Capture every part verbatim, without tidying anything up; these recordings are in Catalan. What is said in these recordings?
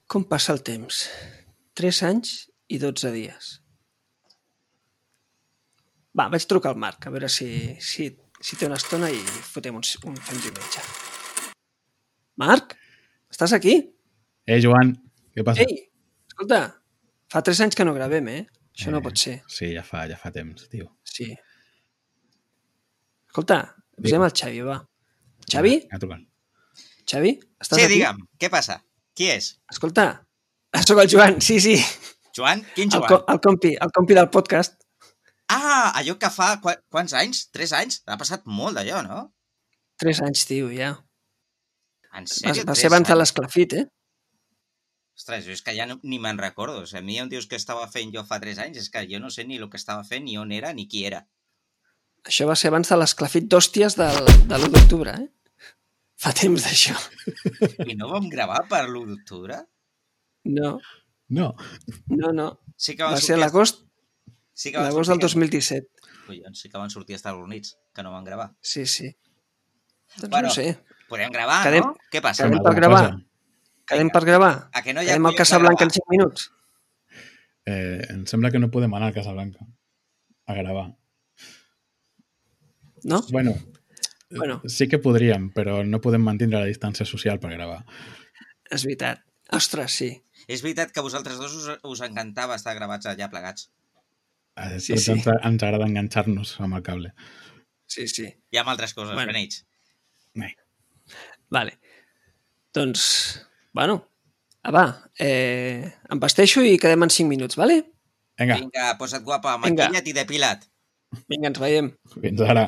Com passa el temps? Tres anys i dotze dies. Va, vaig trucar al Marc, a veure si, si, si té una estona i fotem un, un, un diumenge. Marc, estàs aquí? Eh, Joan, què passa? Ei, escolta, fa tres anys que no gravem, eh? Això eh, no pot ser. Sí, ja fa, ja fa temps, tio. Sí. Escolta, avisem el Xavi, va. Xavi? Ja, ja Xavi, estàs sí, aquí? Sí, digue'm, què passa? Qui és? Escolta, sóc el Joan, sí, sí. Joan? Quin El, Joan? co el, compi, el compi del podcast. Ah, allò que fa... Qu quants anys? Tres anys? Ha passat molt d'allò, no? Tres anys, tio, ja. En sèrio? Va, va ser abans de l'esclafit, eh? Ostres, és que ja no, ni me'n recordo. O sigui, a mi em dius que estava fent jo fa tres anys, és que jo no sé ni el que estava fent, ni on era, ni qui era. Això va ser abans de l'esclafit d'hòsties del, de l'u d'octubre, eh? Fa temps d'això. I no vam gravar per l'u d'octubre? No. No. No, no. Sí que va ser l'agost sí l'agost del dos mil disset. Collons, sí que van sortir a Estats Units, que no van gravar. Sí, sí. Doncs bueno, no sé. Podem gravar, quedem, no? Què passa? Quedem per gravar. Quedem per gravar. A que no hi ha quedem al Casablanca en cinc minuts. Eh, em sembla que no podem anar al Casablanca a gravar. No? Bueno, bueno, sí que podríem, però no podem mantenir la distància social per gravar. És veritat. Ostres, sí. És veritat que a vosaltres dos us, us encantava estar gravats allà plegats. Eh, sí, sí. Ens, ens agrada enganxar-nos amb el cable. Sí, sí. I amb altres coses, bueno. Beneix. Nee. Vale. Doncs, bueno, ah, va, eh, em vesteixo i quedem en cinc minuts, vale? Vinga. Vinga, posa't guapa, maquilla't i depila't. Vinga, ens veiem. Fins ara.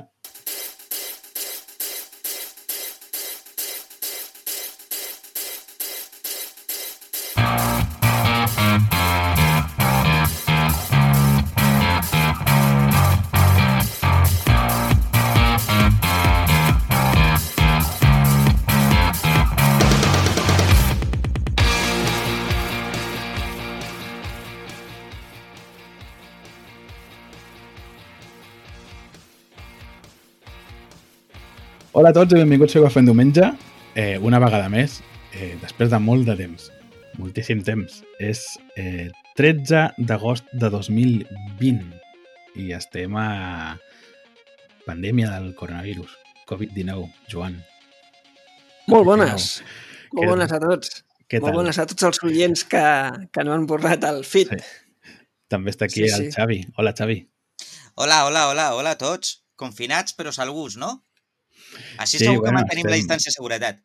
Hola a tots i benvinguts a Cafè en Diumenge, eh, una vegada més, eh, després de molt de temps, moltíssim temps. És eh, tretze d'agost de dos mil vint i estem a pandèmia del coronavirus, covid dinou, Joan. Molt bones, molt Què bones a tots. Què molt tal? bones a tots els oients que, que no han borrat el feed. Sí. També està aquí Sí, el sí. Xavi. Hola, Xavi. Hola, hola, hola, hola a tots. Confinats però salvus, no? Així Sí, segur que bueno, mantenim estem- la distància de seguretat.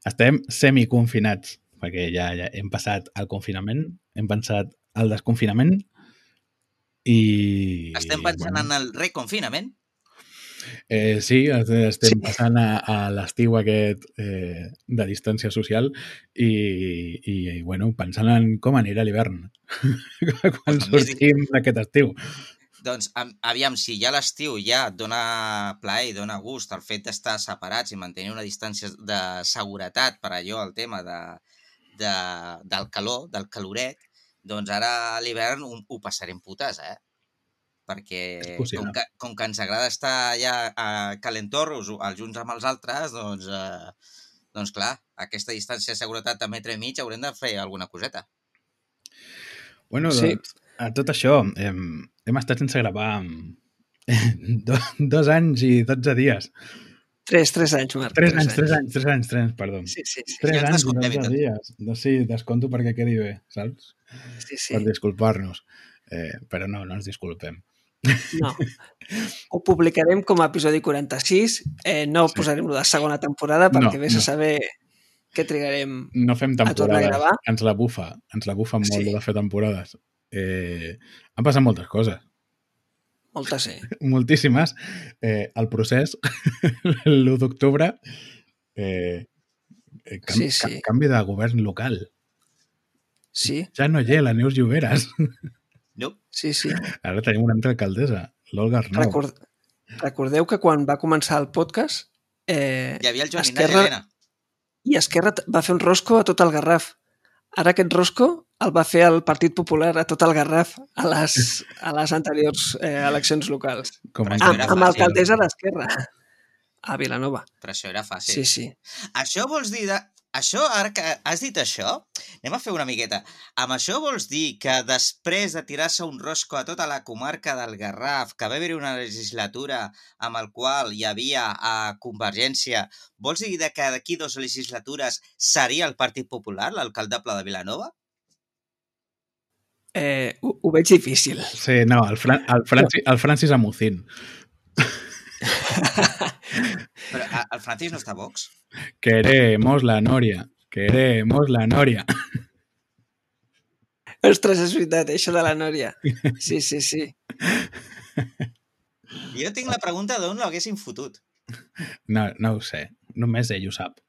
Estem semiconfinats, perquè ja, ja hem passat el confinament, hem passat el desconfinament i... Estem pensant en el reconfinament. Eh, sí, estem passant a, a l'estiu aquest eh, de distància social i, i, i bueno, pensant en com anirà l'hivern quan Pues també sortim d'aquest estiu. Doncs, am- aviam, si ja l'estiu ja et dona plaer i dona gust el fet d'estar separats i mantenir una distància de seguretat per allò, el tema de, de, del calor, del caloret, doncs ara a l'hivern ho, ho passarem putes, eh? Perquè És possible. com que, com que ens agrada estar ja a calentorros els uns amb els altres, doncs, eh, doncs clar, aquesta distància de seguretat de metre i mig haurem de fer alguna coseta. Bueno, Sí. doncs, a tot això, hem, hem estat sense gravar do, dos anys i dotze dies. Tres, tres anys, Marc. Tres anys, tres anys, tres anys, tres anys, perdó. Sí, sí, sí. Tres Ja ens anys i descomptem i dotze tot. dies. No, sí, desconto perquè quedi bé, saps? sí, sí. Per disculpar-nos. Eh, però no, no ens disculpem. No. Ho publicarem com a episodi quaranta-sis. Eh, no Sí. posarem lo de segona temporada perquè No, vés no. a saber què trigarem. No fem A tornar a temporades. gravar? Ens la bufa. Ens la bufa molt Sí. de fer temporades. Eh, han passat moltes coses. Moltes, sí. Moltíssimes. Eh, el procés, l'u d'octubre, eh, eh, canvi, Sí, sí. ca- canvi de govern local. Sí, Ja no hi ha la Neus Lloberes. No? sí, sí. Ara tenim una altra alcaldessa, l'Olga Arnau. Record... Recordeu que quan va començar el podcast eh, Hi havia el Joan Esquerra... Ignasi Helena. i Esquerra t- va fer un rosco a tot el Garraf. Ara aquest rosco el va fer el Partit Popular a tot el Garraf a les, a les anteriors eh, eleccions locals. Com Però en- això Amb, era amb fàcil. alcaldessa d'Esquerra a Vilanova. Però això era fàcil. Sí, sí. Això vols dir de... això, ara que has dit això, anem a fer una miqueta. Amb això vols dir que després de tirar-se un rosco a tota la comarca del Garraf, que va haver una legislatura amb el qual hi havia a Convergència, vols dir que d'aquí dues legislatures seria el Partit Popular, l'alcaldable de Vilanova? Eh, ho, ho veig difícil. Sí, no, el, Fran el, Francis, el Francis Amucín. Però el Francis no està a Vox? Queremos la Noria. Queremos la Noria. Ostres, és veritat, això de la Nòria. Sí, sí, sí. Jo tinc la pregunta d'on l'haguessin fotut. No, no ho sé. Només ell ho sap.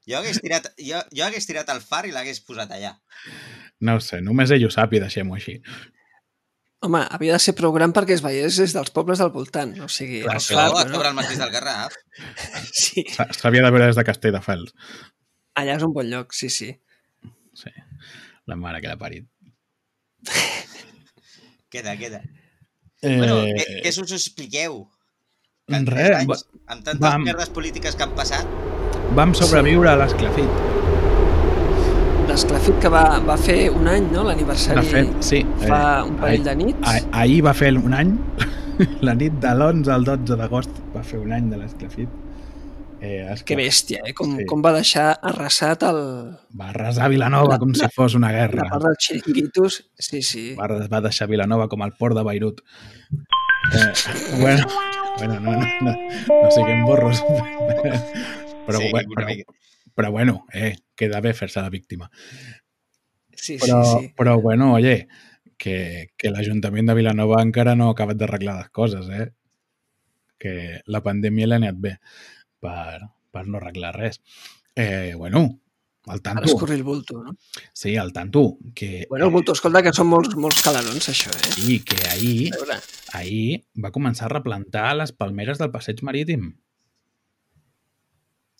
Jo hagués tirat, jo, jo hagués tirat el far i l'hagués posat allà. No ho sé, només ell ho sap i deixem-ho així. Home, havia de ser prou gran perquè es veiés des dels pobles del voltant. O sigui, Clar, el això, far, a no? sobre el mateix del Garraf. Sí. S'havia de veure des de Castelldefels. Allà és un bon lloc, sí, sí. Sí, la mare que l'ha parit. Queda, queda. Eh... Bueno, què, què us expliqueu? Que en Res, anys, amb tantes vam... merdes polítiques que han passat... Vam sobreviure sí. a l'esclafit. L'esclafit que va, va fer un any, no? L'aniversari sí, fa eh, un parell de nits. Ah, ahir va fer un any, la nit de l'onze al dotze d'agost va fer un any de l'esclafit. Eh, que bèstia, eh? Com, sí. com va deixar arrasat el... Va arrasar Vilanova la, com la, si fos una guerra. La part dels xiringuitos, sí, sí. Va, va deixar Vilanova com el port de Beirut. Eh, bueno, bueno, no, no, no, no siguem borros. Però, sí, bueno, però, però bueno, eh, queda bé fer-se la víctima. Sí, però, sí, sí. Però bueno, oye, que, que l'Ajuntament de Vilanova encara no ha acabat d'arreglar les coses, eh? Que la pandèmia l'ha anat bé per, per no arreglar res. Eh, bueno, al tanto. Ara escorrir el bulto, no? Sí, al tanto. Que, bueno, el bulto, escolta, que són molts, molts calarons, això, eh? Sí, que ahir, ahir va començar a replantar les palmeres del passeig marítim.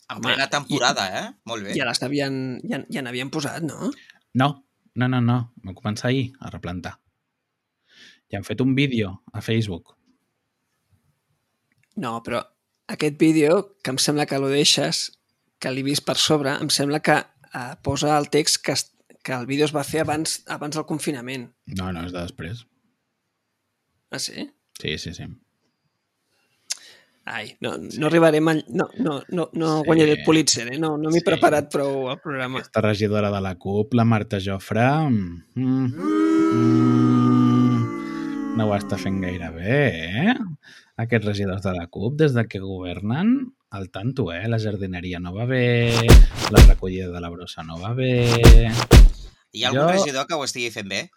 En plena temporada, i, eh? Molt bé. Ja les havien, ja, ja n'havien posat, no? No, no, no, no. Va començar ahir a replantar. Ja han fet un vídeo a Facebook. No, però aquest vídeo, que em sembla que lo deixes, que l'he vist per sobre, em sembla que eh, posa el text que, que el vídeo es va fer abans, abans del confinament. No, no, és de després. Ah, sí? Sí, sí, sí. Ai, no, no arribarem a... No, no, no, no sí. guanyaré el Pulitzer, eh? No, no m'he sí. preparat prou al programa. Aquesta regidora de la CUP, la Marta Jofre, mm, mm, no ho està fent gaire bé, eh? Aquests regidors de la CUP, des de que governen, al tanto, eh? La jardineria no va bé, la recollida de la brossa no va bé... Hi ha algun jo... regidor que ho estigui fent bé?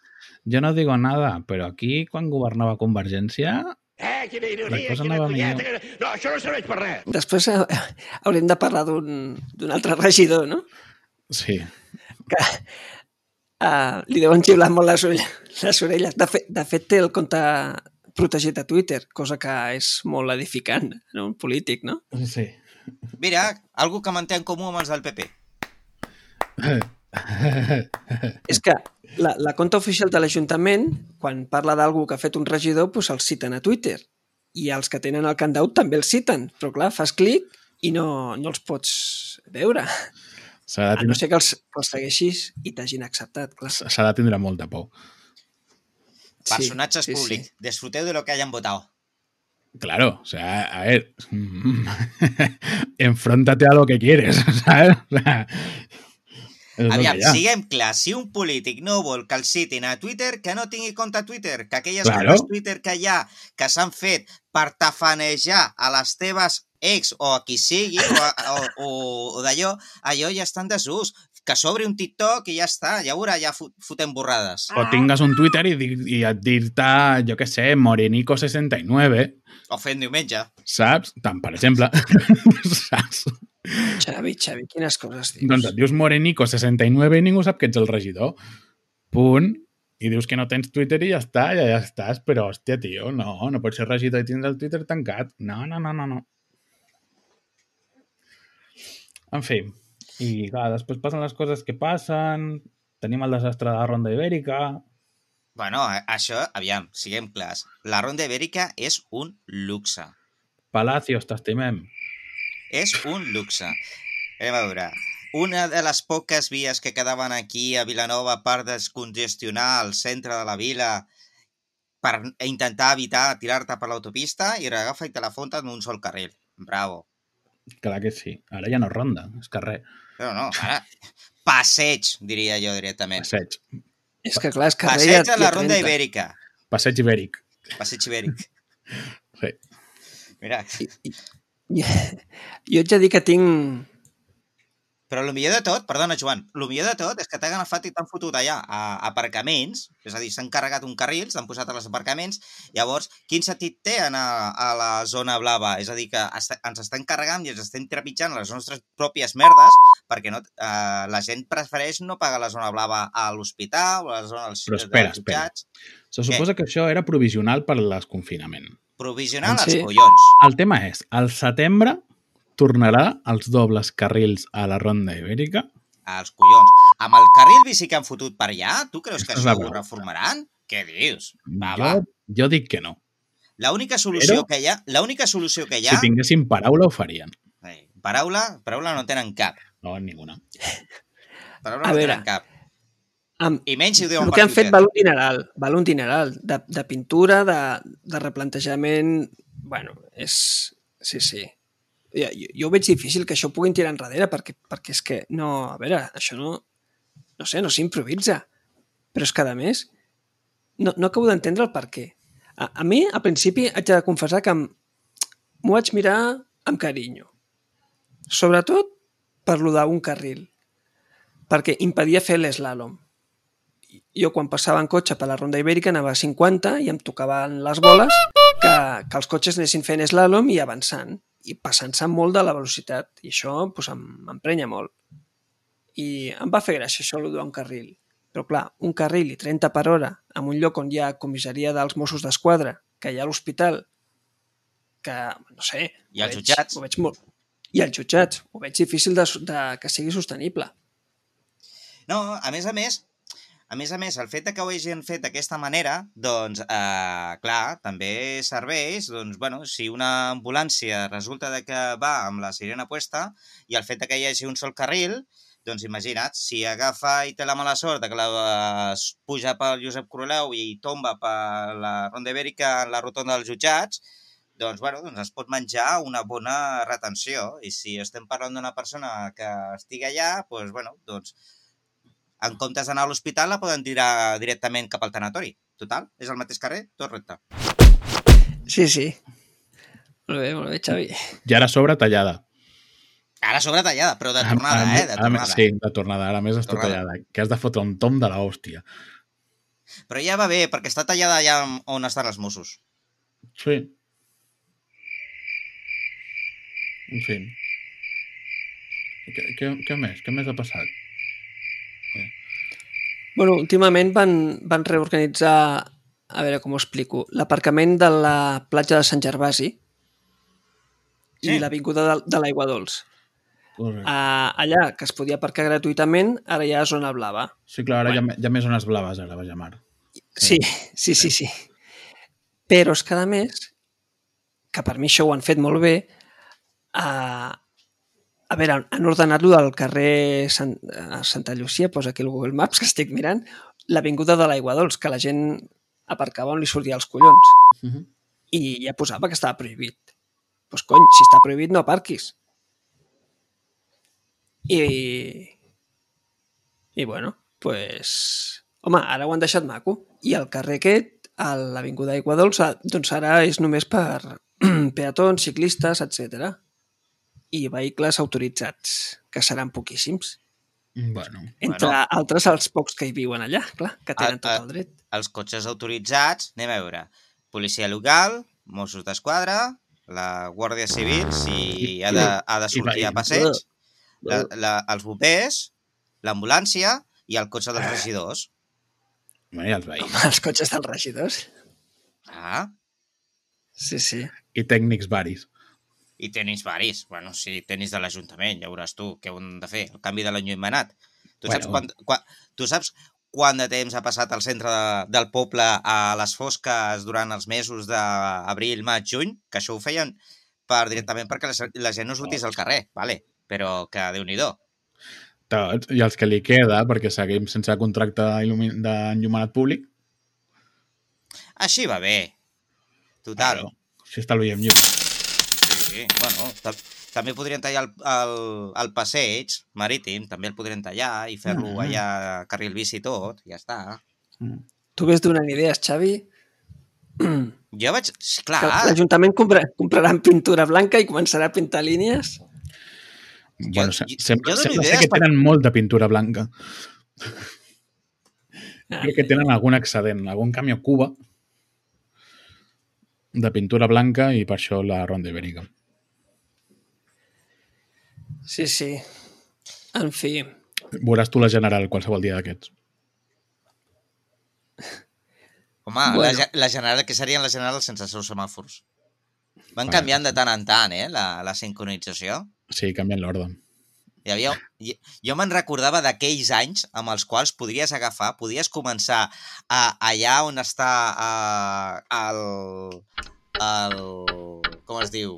Jo no digo nada, però aquí, quan governava Convergència... Eh, quina ironia, quina colleta. No, això no serveix per res. Després eh, haurem de parlar d'un altre regidor, no? Sí. Que uh, li deuen xiular molt les, les orelles. De fet, de fet, té el compte protegit a Twitter, cosa que és molt edificant, no? Un polític, no? Sí. Mira, algú que manté en comú amb els del P P. És que la, la compte oficial de l'Ajuntament, quan parla d'algú que ha fet un regidor, doncs el citen a Twitter. I els que tenen el countdown també el citen. Però clar, fas clic i no, no els pots veure. A no ser que els, que els segueixis i t'hagin acceptat. S'ha de tindre molta por. Personatges sí, sí, públics. Sí. Disfruteu de lo que hayan votado. Claro, o sea, a ver, enfróntate a lo que quieres, ¿sabes? O sea, aviam, siguem clars, si un polític no vol que el citin a Twitter, que no tingui compte a Twitter, que aquelles claro. comptes Twitter que hi ha, que s'han fet per tafanejar a les teves ex o a qui sigui, o, o, o, o d'allò, allò ja està en desús. Que s'obri un TikTok i ja està, ja veurà, ja fotem borrades. O tingues un Twitter i, i et dir-te, jo què sé, Morenico seixanta i nueve. O fent diumenge. Saps? Tant, per exemple. Saps? Xavi, Xavi, quines coses dius? Doncs et dius Morenico seixanta i nueve i ningú sap que ets el regidor. Punt. I dius que no tens Twitter i ja està, ja, ja estàs. Però, hòstia, tio, no, no pots ser regidor i tindre el Twitter tancat. No, no, no, no, no. En fi, i clar, després passen les coses que passen, tenim el desastre de la Ronda Ibèrica... Bueno, això, aviam, siguem clars. La Ronda Ibèrica és un luxe. Palacios, t'estimem. És un luxe. Anem a veure. una de les poques vies que quedaven aquí a Vilanova per descongestionar el centre de la vila per intentar evitar tirar-te per l'autopista i agafa i te la fonta en un sol carril. Bravo. Clar que sí. Ara ja no és ronda, és carrer. Però no, ara... Passeig, diria jo directament. Passeig. És que clar, és carrer... Passeig a la Ronda Ibèrica. Passeig ibèric. Passeig ibèric. Sí. Mira. I, i, jo ets a dir que tinc... Però el millor de tot, perdona Joan, el millor de tot és que t'han agafat i t'han fotut allà a aparcaments, és a dir, s'han carregat un carril, s'han posat als aparcaments, llavors, quin sentit té anar a la zona blava? És a dir, que ens estem carregant i ens estem trepitjant les nostres pròpies merdes perquè no, eh, la gent prefereix no pagar la zona blava a l'hospital o a la zona dels, Però espera, dels jutjats. Se suposa Què? que això era provisional per l'esconfinament. Provisional Sí. als collons. El tema és, al setembre tornarà els dobles carrils a la Ronda Ibèrica? Als collons. Amb el carril bici que han fotut per allà, tu creus que Això és això la ho broma. reformaran? Què dius? Va, jo, va. jo dic que no. L'única solució Però- que hi ha, l'única solució que hi ha... Si tinguessin paraula ho farien. Eh, Paraula, paraula no tenen cap. No, ninguna. Paraula A no veure, tenen cap. Amb, I menys si ho diuen el per que han fet Twitter. val un dineral, val un dineral de, de pintura, de, de replantejament... Bueno, és... Sí, sí. Jo, jo, jo ho veig difícil que això ho puguin tirar enrere perquè, perquè és que no... A veure, això no... No sé, no s'improvisa. Però és que, a més, no, no acabo d'entendre el per què. A, a mi, al principi, haig de confessar que em- m'ho vaig mirar amb carinyo. Sobretot per lo d'un carril. Perquè impedia fer l'eslàlom. Jo quan passava en cotxe per la Ronda Ibèrica anava a cinquanta i em tocaven les boles que, que els cotxes anessin fent eslàlom i avançant i passant-se molt de la velocitat i això doncs, em- m'emprenya molt i em va fer gràcia això d'un carril, però clar, un carril i trenta per hora en un lloc on hi ha comissaria dels Mossos d'Esquadra, que hi ha l'hospital, que no sé, I ho els veig- jutjats. ho veig molt, i els jutjats, ho veig difícil de, de que sigui sostenible. No, a més a més, a més a més, el fet de que ho hagin fet d'aquesta manera, doncs, eh, clar, també serveix, doncs, bueno, si una ambulància resulta de que va amb la sirena puesta i el fet de que hi hagi un sol carril, doncs imagina't, si agafa i té la mala sort de que la, es puja pel Josep Coroleu i tomba per la Ronda Ibèrica en la rotonda dels jutjats, doncs, bueno, doncs es pot menjar una bona retenció. I si estem parlant d'una persona que estigui allà, doncs, bueno, doncs, en comptes d'anar a l'hospital la poden tirar directament cap al tanatori. Total, és el mateix carrer, tot recte. Sí, sí. Molt bé, molt bé, Xavi. I ara a sobre tallada. Ara sobre tallada, però de tornada, Ara- eh? De ara- tornada. Sí, de tornada. Ara més està Tornada. tallada. Que has de fotre un tom de l'hòstia. Però ja va bé, perquè està tallada allà on estan els Mossos. Sí. En fi. Què, què, què més? Què més ha passat? Bueno, últimament van, van reorganitzar, a veure com ho explico, l'aparcament de la platja de Sant Gervasi Sí. i l'avinguda de, de l'Aigua Dols. Correcte. Uh, allà, que es podia aparcar gratuïtament, ara hi ha zona blava. Sí, clar, ara bueno. hi, ha, hi ha més zones blaves, ara, vaja mar. Sí, sí, sí, sí. Però és que, a més, que per mi això ho han fet molt bé, uh, a veure, han ordenat-lo del carrer Sant, uh, Santa Llucia, posa aquí el Google Maps, que estic mirant, l'avinguda de l'Aigua Dols, que la gent aparcava on li sortia els collons. Uh -huh. I ja posava que estava prohibit. Doncs pues, cony, si està prohibit no aparquis. I... I bueno, pues... Home, ara ho han deixat maco. I el carrer aquest, a l'avinguda Aigua Dols, doncs ara és només per peatons, ciclistes, etcètera. I vehicles autoritzats, que seran poquíssims. Bueno. Entre Bueno. altres, els pocs que hi viuen allà, clar, que tenen A- tot a- el dret. Els cotxes autoritzats, anem a veure, policia local, Mossos d'Esquadra, la Guàrdia Civil, si ha de, ha de sortir a passeig, la, la, els bombers, l'ambulància i el cotxe dels regidors. Bueno, i els veïns. Els cotxes dels regidors. Ah, Sí, sí. I tècnics varis. i tenis varis. Bueno, sí, tenis de l'Ajuntament, ja veuràs tu què han de fer, el canvi de l'enllumenat. Tu, Bueno. saps quan, quan, tu saps quant de temps ha passat al centre de, del poble a les fosques durant els mesos d'abril, maig, juny? Que això ho feien per, directament perquè la, la gent no sortís al carrer, vale? Però que Déu-n'hi-do. Tots, i els que li queda, perquè seguim sense contracte d'enllumenat públic. Així va bé. Total. Claro, si estalviem llum. Sí, bueno, també podrien tallar el, el, el passeig marítim, també el podrien tallar i fer-lo Ah. allà carril bici i tot, ja està. Mm. Tu ves donant idees, Xavi? Jo vaig... Sí, clar. Que l'Ajuntament compra, comprarà pintura blanca i començarà a pintar línies? Bueno, Jo- sembla, jo dono sembla ser idees que per- tenen molt de pintura blanca. Ah. Crec que tenen algun excedent, algun camió Cuba de pintura blanca i per això la Ronda Ibèrica. Sí, sí. En fi. Veuràs tu la General qualsevol dia d'aquests. Home, bueno. Bueno. la, ge- la general, que serien les generals sense els seus semàfors. Van Vale. canviant de tant en tant, eh, la, la sincronització. Sí, canvien l'ordre. Hi havia, hi- jo me'n recordava d'aquells anys amb els quals podries agafar, podies començar a, allà on està a, el, el... com es diu?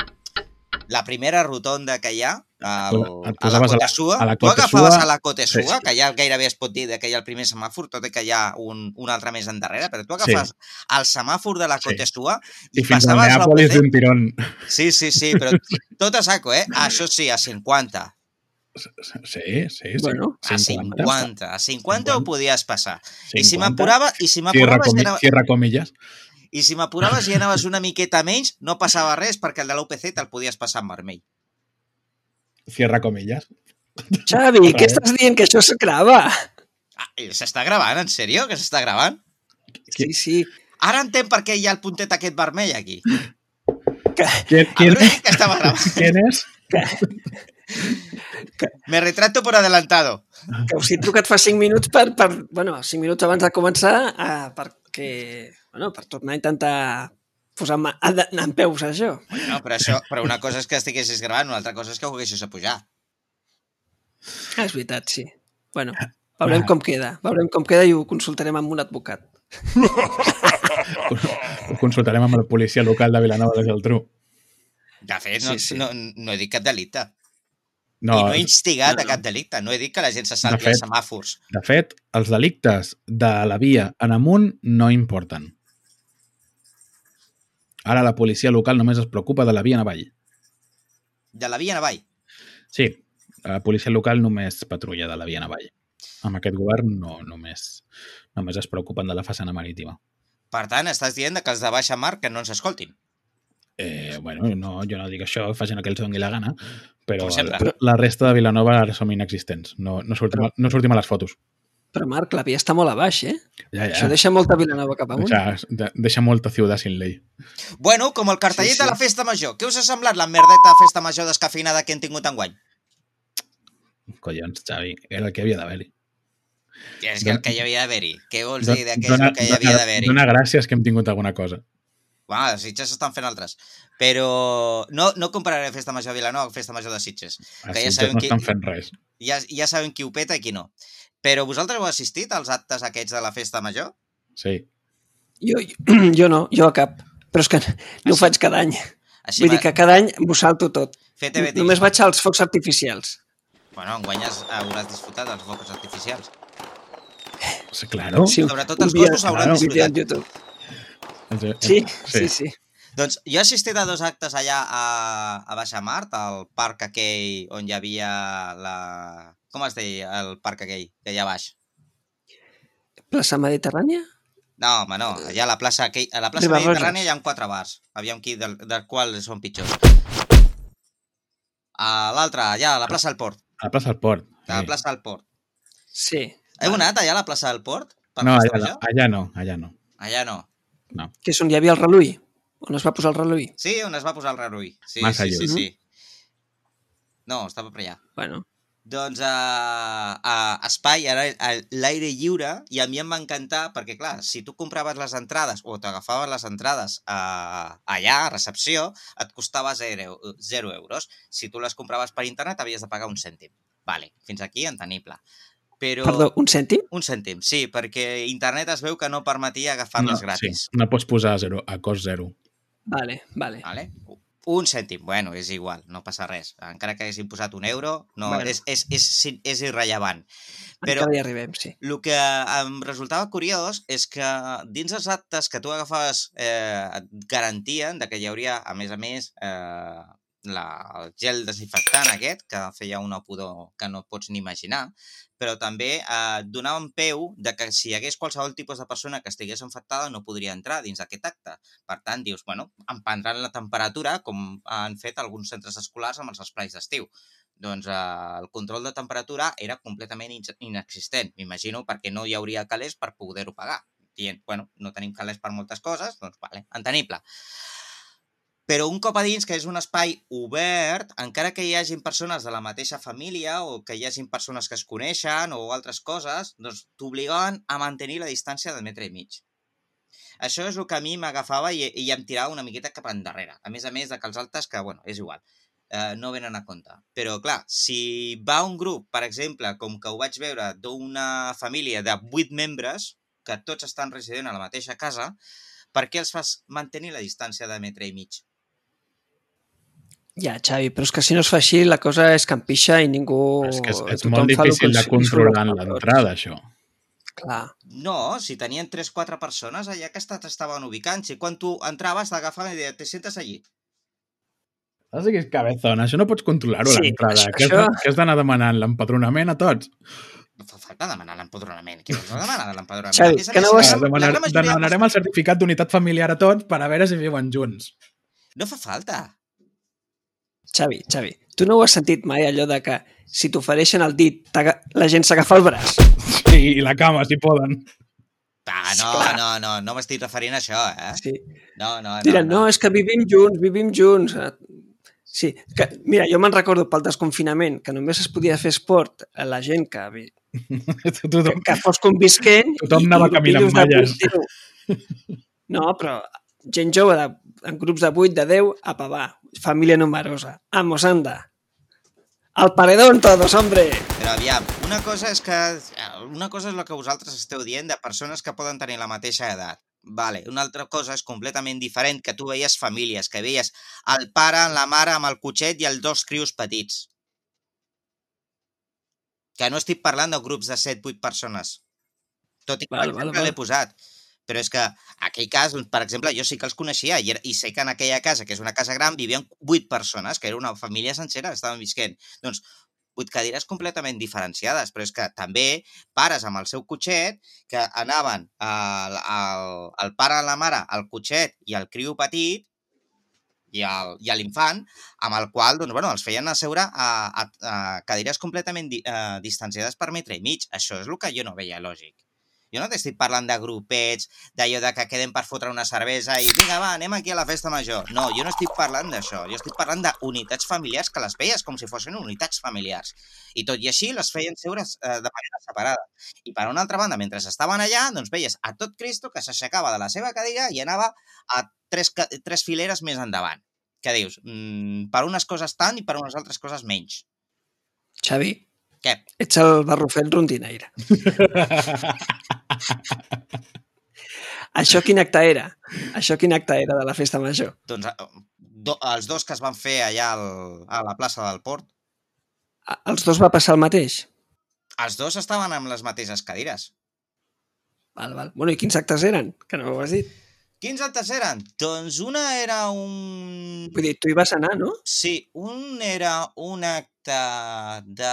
La primera rotonda que hi ha, el, Et a la posaves a la- Cota Sua. a la Tu Cota agafaves Sua, a la Cota sí, Sua, sí. que ja gairebé es pot dir que hi ha el primer semàfor, tot i que hi ha un, un altre més endarrere, però tu agafes el semàfor de la Sí. Cota Sua i, I fins a passaves Neàpolis l'U P C. d'un tirón. Sí, sí, sí, però tot a saco, eh? Això sí, a cinquanta. Sí, sí, sí. Bueno, A cinquanta. A cinquanta ho podies passar. I si m'apurava, i si Si, m'apuraves recomi i, anava, si recomilles. i si m'apuraves i anaves una miqueta menys, no passava res perquè el de l'U P C te'l podies passar en vermell. Cierra comillas. Xavi, què estàs dient? Que això es grava. Ah, i s'està gravant, en sèrio? Que s'està gravant? Sí, sí. Ara entenc per què hi ha el puntet aquest vermell aquí. Que, ¿Quién, A quién, veure que estava gravant. ¿Quién es? Me retrato por adelantado. que us he trucat fa cinc minuts per, per bueno, cinc minuts abans de començar uh, perquè, bueno, per tornar a intentar posar en, en, en peus això. No, però, això, però una cosa és que estiguessis gravant, una altra cosa és que ho haguessis a pujar. Ah, és veritat, sí. Bueno, veurem com queda. Veurem com queda i ho consultarem amb un advocat. Ho consultarem amb el policia local de Vilanova de Geltrú. De fet, no, Sí, sí. no, no he dit cap delicte. No, I no he instigat no, a no. cap delicte. No he dit que la gent se salvi De fet- els semàfors. de fet, els delictes de la via en amunt no importen. Ara la policia local només es preocupa de la via en avall. De la via en avall. Sí, la policia local només patrulla de la via en avall. Amb aquest govern no, només, només es preocupen de la façana marítima. Per tant, estàs dient que els de baixa mar que no ens escoltin. Eh, bueno, no, jo no dic això, facin el que els doni la gana, però Com sempre. la, la resta de Vilanova ara som inexistents. No, no, sortim, a- no sortim a les fotos. Però, Marc, la via està molt a baix, eh? Ja, ja. Això deixa molta Vilanova cap amunt. Deixa, de- deixa molta ciutat sin ley. Bueno, com el cartellet Sí, sí. de la festa major. Què us ha semblat la merdeta festa major descafeinada que hem tingut enguany? Collons, Xavi, era el que havia d'haver-hi. Que és que el que hi havia d'haver-hi. Què vols Do- dir de què és el que hi havia dona- d'haver-hi? Dona gràcies que hem tingut alguna cosa. Bueno, els Sitges estan fent altres. Però no, no compararé festa major de Vilanova amb festa major de Sitges. Els Que ja Sitges sabem no qui- estan fent res. Ja, ja sabem qui ho peta i qui no. Però vosaltres heu assistit als actes aquests de la festa major? Sí. Jo, jo no, jo a cap. Però és que no ho faig cada any. Així Vull va, dir que cada any m'ho salto tot. fer T V Només vaig als focs artificials. Bueno, enguany has- hauràs disfrutat dels focs artificials. Sí, claro. Sí, Sobretot un els dia- gossos hauran un vídeo disfrutat. en YouTube. Els- Sí, sí, sí. Doncs jo he assistit a dos actes allà a, a Baixa Mart, al parc aquell on hi havia la... Com es deia el parc aquell, que hi ha baix? Plaça Mediterrània? No, home, no. Allà a la plaça, aquell, a la plaça Ribarroja. Mediterrània hi ha quatre bars. Aviam qui, del, del qual són pitjors. A l'altre, allà, a la plaça del Port. A la plaça del Port. A la Sí. plaça del Port. Sí. Heu anat allà a la plaça del Port? Per No, festa allà, major? no, allà no, allà no. Allà no. no. Que és on hi havia el reluí? On es va posar el reluí? Sí, on es va posar el Rarui. Sí, Massa sí, sí, lluny. sí. No, estava per allà. Bueno, Doncs a, a Espai era a l'aire lliure i a mi em va encantar perquè, clar, si tu compraves les entrades o t'agafaves les entrades a, allà, a recepció, et costava zero, zero euros. Si tu les compraves per internet havies de pagar un cèntim. Vale, fins aquí entenible. Però... perdó, un cèntim? Un cèntim, sí, perquè internet es veu que no permetia agafar-les no, gratis. Sí, no pots posar a, zero, a cost zero. Vale, vale. Vale? Un cèntim, bueno, és igual, no passa res. Encara que haguessin posat un euro, no, Bueno. és, és, és, és irrellevant. Però Encara hi arribem, sí. el que em resultava curiós és que dins els actes que tu agafaves eh, et garantien de que hi hauria, a més a més, eh, la, el gel desinfectant aquest, que feia una pudor que no pots ni imaginar, però també eh, donaven peu de que si hi hagués qualsevol tipus de persona que estigués infectada no podria entrar dins d'aquest acte. Per tant, dius, bueno, em prendran la temperatura com han fet alguns centres escolars amb els esprais d'estiu. Doncs eh, el control de temperatura era completament inexistent, m'imagino, perquè no hi hauria calés per poder-ho pagar. Dient, bueno, no tenim calés per moltes coses, doncs vale, entenible. Però un cop a dins, que és un espai obert, encara que hi hagin persones de la mateixa família o que hi hagin persones que es coneixen o altres coses, doncs t'obligaven a mantenir la distància de metre i mig. Això és el que a mi m'agafava i, i em tirava una miqueta cap endarrere. A més a més de que els altres, que, bueno, és igual, eh, no venen a compte. Però, clar, si va un grup, per exemple, com que ho vaig veure, d'una família de vuit membres, que tots estan residint a la mateixa casa, per què els fas mantenir la distància de metre i mig? Ja, Xavi, però és que si no es fa així, la cosa és que empixa i ningú... És que és, és molt difícil de controlar en l'entrada, això. Clar. No, si tenien tres o quatre persones allà que estaven ubicant. Si quan tu entraves t'agafaven i deien, te sientes allí. Así que és cabezona, això no pots controlar-ho a Sí, l'entrada. això- Què has, això- què has d'anar demanant? L'empadronament a tots? No fa falta demanar l'empadronament. Què vols demanar l'empadronament? Xavi, A més a que més, no la vas- gran- la Demanar, gran majoria demanarem el certificat d'unitat familiar a tots per a veure si viuen junts. No fa falta. Xavi, Xavi, tu no ho has sentit mai, allò de que si t'ofereixen el dit, t'aga- la gent s'agafa el braç? Sí, i la cama, si poden. Ah, no, Clar. no, no, no m'estic referint a això, eh? Sí. No, no, no. Diran, no, és que vivim junts, vivim junts. Sí, que, mira, jo me'n recordo pel desconfinament que només es podia fer esport a la gent que, vi- que, Tothom, que fos convisquent. Tothom anava caminant amb malles. No, però gent jove de, en grups de vuit, de deu, a pavar. Família numerosa. Vamos, anda. Al paredón todos, hombre. Però aviam, una cosa és que una cosa és el que vosaltres esteu dient de persones que poden tenir la mateixa edat. Vale, una altra cosa és completament diferent, que tu veies famílies, que veies el pare, la mare amb el cotxet i els dos crios petits. Que no estic parlant de grups de set vuit persones. Tot i que Val, per val, exemple val. l'he posat. Però és que aquell cas, per exemple, jo sí que els coneixia i, i sé que en aquella casa, que és una casa gran, vivien vuit persones, que era una família sencera, estaven visquent. Doncs vuit cadires completament diferenciades, però és que també pares amb el seu cotxet que anaven el, el, el pare, la mare, el cotxet i el criu petit i el- i l'infant, amb el qual doncs, bueno, els feien asseure a, a, a cadires completament di, a, distanciades per metre i mig. Això és el que jo no veia lògic. Jo no t'estic parlant de grupets, d'allò de que queden per fotre una cervesa i vinga, va, anem aquí a la festa major. No, jo no estic parlant d'això. Jo estic parlant d'unitats familiars que les veies com si fossin unitats familiars. I tot i així les feien seure eh, de manera separada. I per una altra banda, mentre estaven allà, doncs veies a tot Cristo que s'aixecava de la seva cadira i anava a tres, ca- tres fileres més endavant. Què dius? Mm, per unes coses tant i per unes altres coses menys. Xavi, Què? ets el barrufet rondinaire. Això quin acte era? Això quin acte era de la festa major? Doncs eh, do, els dos que es van fer allà al, a la plaça del Port, A- Els dos va passar el mateix? els dos estaven amb les mateixes cadires. Val, val. Bueno, i quins actes eren? Que no ho has dit. Quins actes eren? Doncs una era un... Vull dir, tu hi vas anar, no? Sí, un era un acte de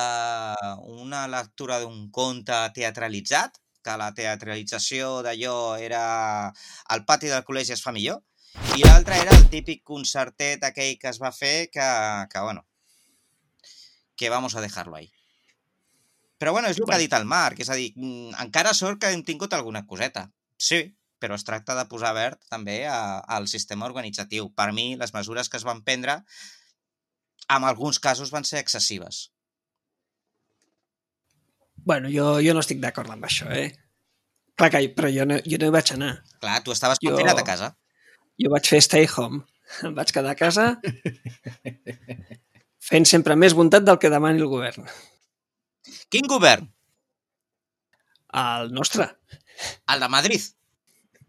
una lectura d'un conte teatralitzat, que la teatralització d'allò era al pati del col·legi es fa millor, i l'altre era el típic concertet aquell que es va fer que, que bueno, que vamos a dejarlo ahí. Però bueno, és el que ha dit el Marc, és a dir, mm, encara sort que hem tingut alguna coseta. Sí, però es tracta de posar verd també a, al sistema organitzatiu. Per mi, les mesures que es van prendre, en alguns casos van ser excessives. Bueno, jo, jo no estic d'acord amb això, eh? Clar que, però jo no, jo no hi vaig anar. Clar, tu estaves Jo- confinat a casa. Jo vaig fer stay home. Em vaig quedar a casa fent sempre més bondat del que demani el govern. Quin govern? El nostre. El de Madrid.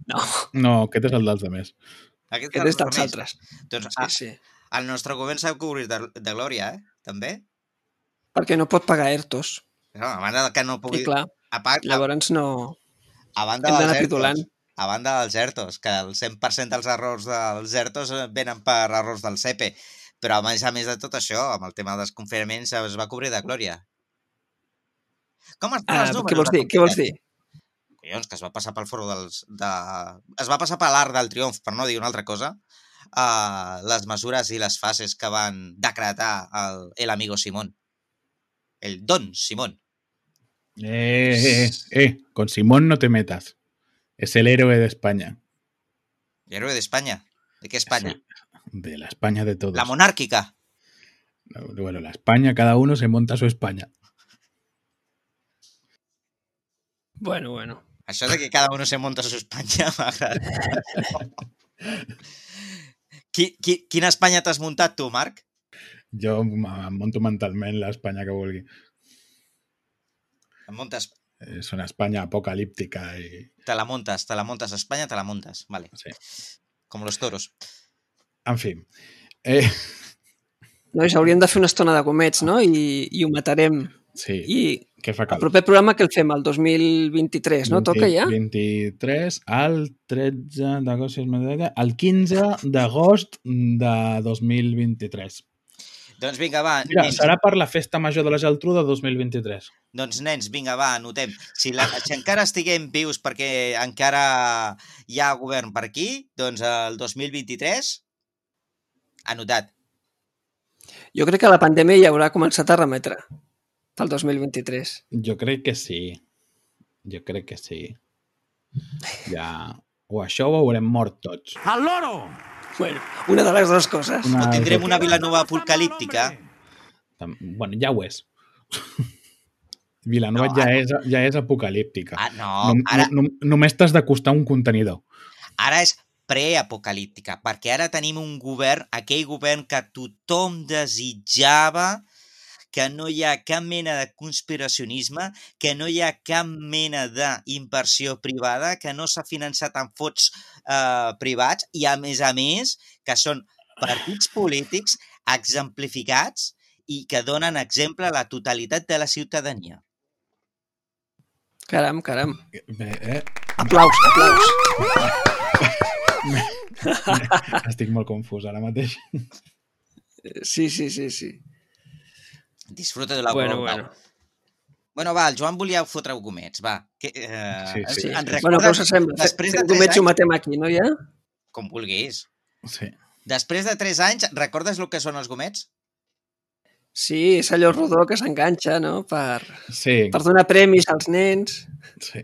No, No, aquest és el dels altres. Aquest, aquest és dels més. altres. Doncs Sí, a, sí. El nostre govern s'ha cobrir de, de glòria, eh? També. Perquè no pot pagar ERTOs. No, a banda que no pugui... I clar, a, a, llavors no... a banda hem dels d'anar ERTOs, pidolant. a banda dels ERTOs, que el cent per cent dels errors dels ERTOs venen per errors del C E P E, però a més a més de tot això, amb el tema dels confinaments es va cobrir de glòria. Com estan Uh, els números? què vols dir? Què vols dir? Collons, que es va passar pel foro dels... De... Es va passar per l'Arc del Triomf, per no dir una altra cosa, uh, les mesures i les fases que van decretar el, el amigo Simón. El Don Simón. Eh, eh, eh, con Simón no te metas. Es el héroe de España. ¿El héroe de España? ¿De qué España? Sí, de la España de todos. La monárquica. Bueno, la España, cada uno se monta su España. Bueno, bueno. Això de que cada uno se monta su Espanya m'agrada. Qui, qui, quina Espanya t'has muntat tu, Marc? Jo em monto mentalment l'Espanya que vulgui. Em muntes... És una Espanya apocalíptica i... Te la montes, te la montes a Espanya, te la montes. Vale. Sí. Com los toros. En fi. Eh... Nois, hauríem de fer una estona de gomets, no? I, i ho matarem. Sí. I Què fa el cal? proper programa que el fem, el dos mil vint-i-tres, no? Toca ja? vint-i-tres al tretze d'agost, al quinze d'agost de dos mil vint-i-tres. Doncs vinga, va. Mira, nens. serà per la Festa Major de la Geltrú de dos mil vint-i-tres. Doncs, nens, vinga, va, anotem. Si, la, si encara estiguem vius perquè encara hi ha govern per aquí, doncs el dos mil vint-i-tres, anotat. Jo crec que la pandèmia ja haurà començat a remetre pel dos mil vint-i-tres. Jo crec que sí. Jo crec que sí. Ja... O això ho haurem mort tots. ¡Al loro! Bueno, una de les dues coses. Una- O tindrem una Vilanova apocalíptica. Tam- Bueno, ja ho és. Vilanova No, ja, ara- és, ja és apocalíptica. Ah, no, No, ara, no, no, només t'has d'acostar un contenidor. ara és preapocalíptica, perquè ara tenim un govern, aquell govern que tothom desitjava, que no hi ha cap mena de conspiracionisme, que no hi ha cap mena d'inversió privada, que no s'ha finançat amb fons eh, privats i, a més a més, que són partits polítics exemplificats i que donen exemple a la totalitat de la ciutadania. Caram, caram. Bé, eh? Aplaus, aplaus. Estic molt confús ara mateix. Sí, sí, sí, sí. Disfruta de la Bueno, voluntat. bueno. Bueno, va, el Joan volia fotre gomets, va. Que, eh, Sí, sí, ens- sí. ens Bueno, recordes- què us sembla? Després de Fem tres gomets i ho anys, matem aquí, no, ja? com vulguis. Sí. Després de tres anys, recordes el que són els gomets? Sí, és allò rodó que s'enganxa, no? Per, Sí, per donar premis als nens. sí.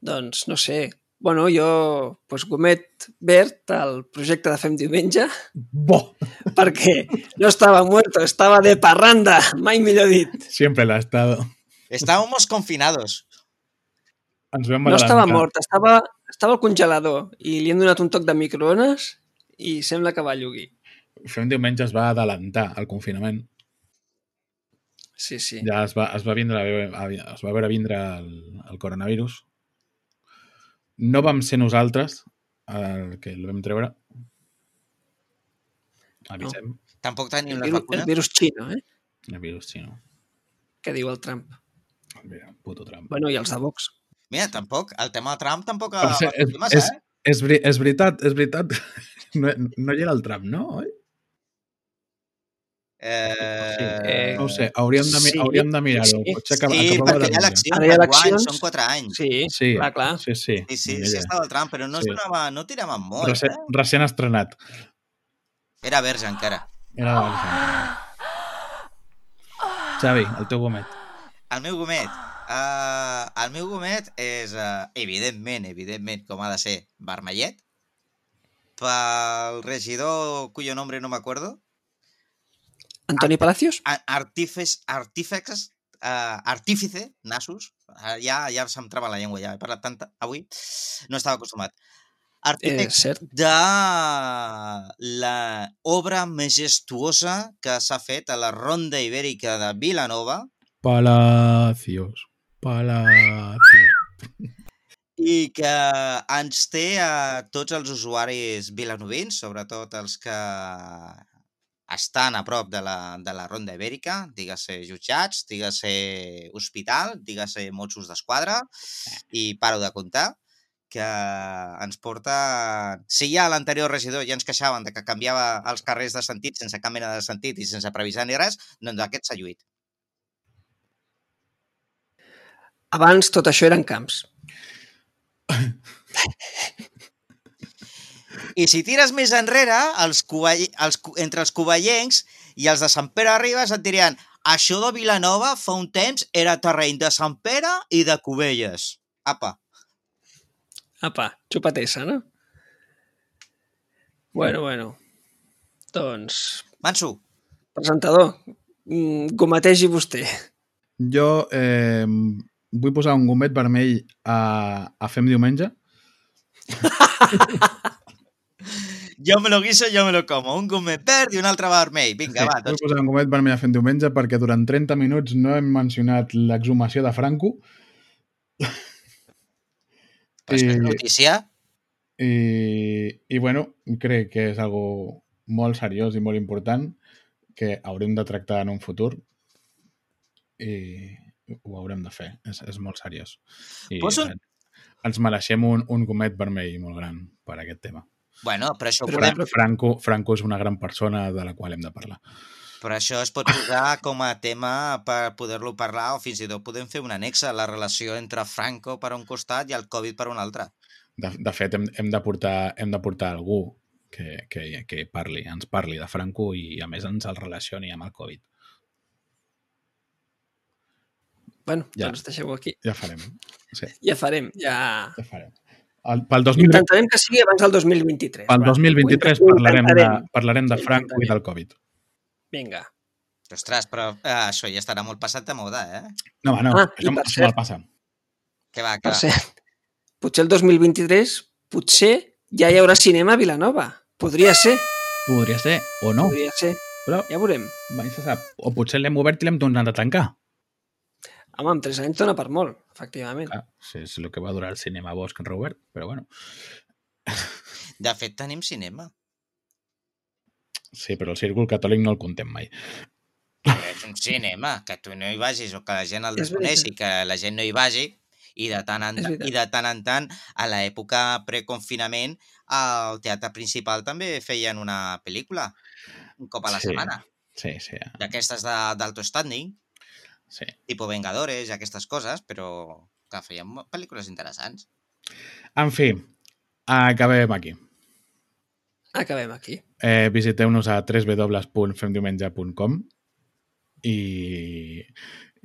Doncs, no sé. Bueno, jo, pues, gomet verd al projecte de Fem Diumenge, Bo! perquè no estava muerto, estava de parranda, mai millor dit. Siempre lo ha estado. Estábamos confinados. Ens vam No estava adelantar. mort, estava, estava al congelador i li hem donat un toc de microones i sembla que va llugir. Fem diumenge es va adelantar al confinament. Sí, sí. Ja es va, es va, vindre, es va veure vindre el, el coronavirus. No vam ser nosaltres el que el vam treure. Avisem. Tampoc tenim El les virus, el vacunes. virus xino, eh? El virus xino. Que diu el Trump. Mira, puto Trump. Bueno, i els de Vox. Mira, tampoc, el tema de Trump tampoc Per ha cert, és, sortit massa, és, eh? és, veri- és veritat, és veritat. No, no hi era el Trump, no? Oi? Eh... No ho sé, hauríem de, mi- Sí, hauríem de mirar-ho. sí. Potser acab- Sí, acabava perquè de hi ha mirar. eleccions Ara hi ha per anys, eleccions. són quatre anys. Sí, Sí, clar, clar. sí, sí. Sí, sí, Mira, sí estava el Trump, però no, Sí. es donava, no tiraven molt, Recent, eh? recent estrenat. Era verge encara. Era de Barcelona. Xavi, el teu gomet. El meu gomet. Uh, el meu gomet és, uh, evidentment, evidentment, com ha de ser, vermellet. Pel regidor cuyo nombre no me acuerdo. Antoni Palacios? A- Artífex, artífex, uh, artífice, Nasus. Uh, ja, ja se'm trava la llengua, ja he parlat tanta avui. No estava acostumat. Eh, Artífex cert. de la obra majestuosa que s'ha fet a la Ronda Ibèrica de Vilanova Palacios. Palacios. i que ens té a tots els usuaris vilanovins, sobretot els que estan a prop de la, de la Ronda Ibèrica, digue-se jutjats, digue-se hospital, digue-se Mossos d'Esquadra, i paro de comptar, que ens porta... Si ja l'anterior regidor ja ens queixaven de que canviava els carrers de sentit sense cap mena de sentit i sense previsar ni res, doncs aquest s'ha lluït. Abans tot això eren camps. I si tires més enrere, els covall... els... entre els covellencs i els de Sant Pere Ribes et dirien això de Vilanova fa un temps era terreny de Sant Pere i de Cubelles. Apa. Apa, xupatessa, no? Bueno, bueno. Doncs... Manso. Presentador, gometegi vostè. Jo eh, vull posar un gomet vermell a, a Fem Diumenge. Jo me lo guiso, jo me lo como. Un gomet verd i un altre vermell. Vinga, sí, va. Vull posar un gomet vermell a Fem Diumenge perquè durant trenta minuts no hem mencionat l'exhumació de Franco. Però és que és notícia. I, i bueno, crec que és algo molt seriós i molt important que haurem de tractar en un futur i ho haurem de fer. És, és molt seriós. I un... ens mereixem un, un gomet vermell molt gran per aquest tema. Bueno, però això... Però, podem... Franco, Franco és una gran persona de la qual hem de parlar. Però això es pot posar com a tema per poder-lo parlar o fins i tot podem fer un annex a la relació entre Franco per un costat i el Covid per un altre. De, de fet, hem, hem, de portar, hem de portar algú que, que, que parli, ens parli de Franco i a més ens el relacioni amb el Covid. Bueno, ja, doncs deixeu-ho aquí. Ja farem. Sí. Ja farem, ja... Ja farem. El, pel dos mil... Intentarem que sigui abans del dos mil vint-i-tres. Pel dos mil vint-i-tres parlarem de, parlarem de Franco i del Covid. Vinga. Ostres, però eh, això ja estarà molt passat de moda, eh? No, no, ah, això, això me'l passa. Que va, que per cert, potser el dos mil vint-i-tres, potser ja hi haurà cinema a Vilanova. Podria ser. Podria ser, o no. Podria ser, però ja veurem. Mai se sap. O potser l'hem obert i l'hem tornat a tancar. Home, amb tres anys dona per molt, efectivament. Ah, sí, és el que va durar el cinema Bosch en Robert, però bueno. De fet, tenim cinema. Sí, però el círcul catòlic no el contem mai. És un cinema, que tu no hi vagis o que la gent el desconeixi, que la gent no hi vagi, i de tant en, i de tant en tant, a l'època preconfinament, al Teatre Principal també feien una pel·lícula, un cop a la sí, setmana. Sí, sí. D'aquestes d'alto standing, sí. Tipo Vengadores i aquestes coses, però que feien pel·lícules interessants. En fi, acabem aquí. Acabem aquí. Eh, visiteu-nos a w w w punt femdiumenge punt com i,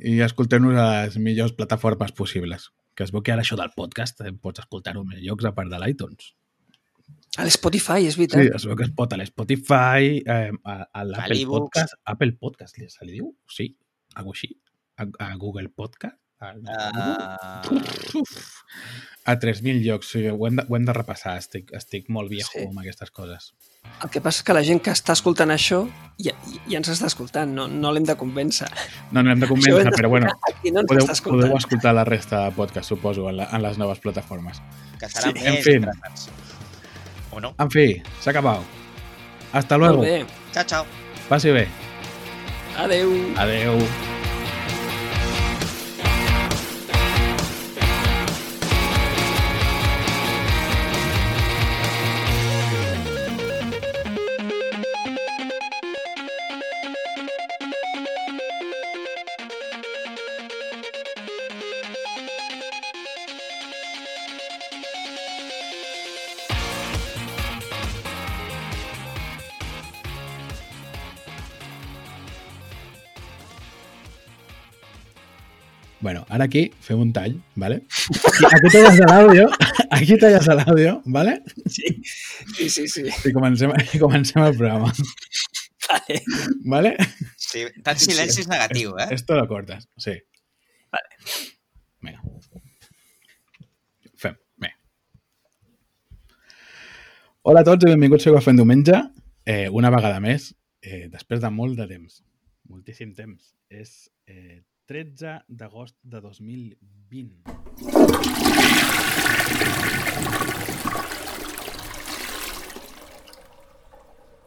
i escolteu-nos a les millors plataformes possibles. Que es veu que ara això del podcast eh, pots escoltar-ho en més llocs a part de l'iTunes. A l'Spotify, és veritat. Sí, es veu que es pot a l'Spotify, eh, a, a l'Apple Podcast. Apple Podcast, se li diu? Sí, algo així. A, a Google Podcast. A, uh... a tres mil llocs. Sí, ho, hem de, ho hem de repassar. Estic, estic molt viejo sí. amb aquestes coses. El que passa és que la gent que està escoltant això ja, ja ens està escoltant, no, no l'hem de convèncer. No, no l'hem de convèncer, però bueno, no podeu, podeu escoltar la resta de podcast, suposo, en, la, en les noves plataformes. Que serà sí. més en fi, o no? En fi, s'ha acabat. Hasta luego. Molt bé. Ciao, ciao. Passi bé. Adeu. Adeu. Bueno, ara aquí fem un tall, ¿vale? Aquí talles l'àudio, aquí talles l'àudio, ¿vale? Sí, sí, sí. sí. I comencem, i comencem el programa. Vale. ¿Vale? Sí, tant silenci és negatiu, eh? Esto lo cortas, sí. Vale. Vinga. Fem, bé. Hola a tots i benvinguts a Fem Diumenge. Eh, una vegada més, eh, després de molt de temps, moltíssim temps, és... Eh, tretze d'agost de dos mil vint.